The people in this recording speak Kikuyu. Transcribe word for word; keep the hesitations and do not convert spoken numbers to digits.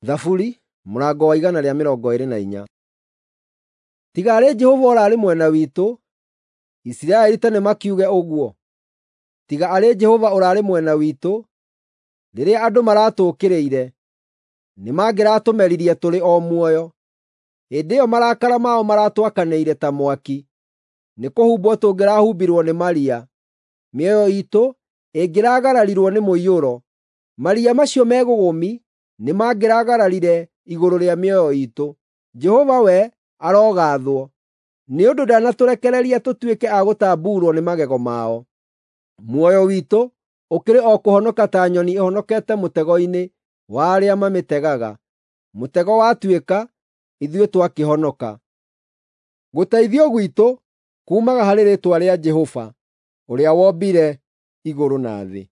Thaburi mũrango wa igana rĩa mĩrongo ĩĩrĩ na inya. Tiga arĩ Jehova ũrarĩ mwena witũ, Isiraeli ta nĩmakiuge ũguo. Tiga arĩ Jehova ũrarĩ mwena witũ rĩrĩa andũ maratũũkĩrĩire, nĩmangĩratũmeririe tũrĩ o muoyo. Hĩndĩ ĩyo marakara mao maratwakanĩire ta mwaki, nĩkũhumbwo tũngĩrahumbirwo nĩ maria. Mĩoyo iitũ ĩngĩragararirwo nĩ mũiyũro, maria macio megũgũmi nĩmangĩragararire igũrũ rĩa mĩoyo iitũ. Jehova we arogaathwo, nĩ ũndũ ndanatũrekereria tũtuĩke a gũtambuurwo nĩ magego mao. Muoyo witũ ũkĩrĩ o kũhonoka ta nyoni ĩhonokete mũtego-inĩ wa arĩa mamĩtegaga. Mũtego watuĩka, ithuĩ twakĩhonoka. Gũteithio gwitũ kuumaga harĩ rĩĩtwa rĩa Jehova, ũrĩa wombire igũrũ na thĩ.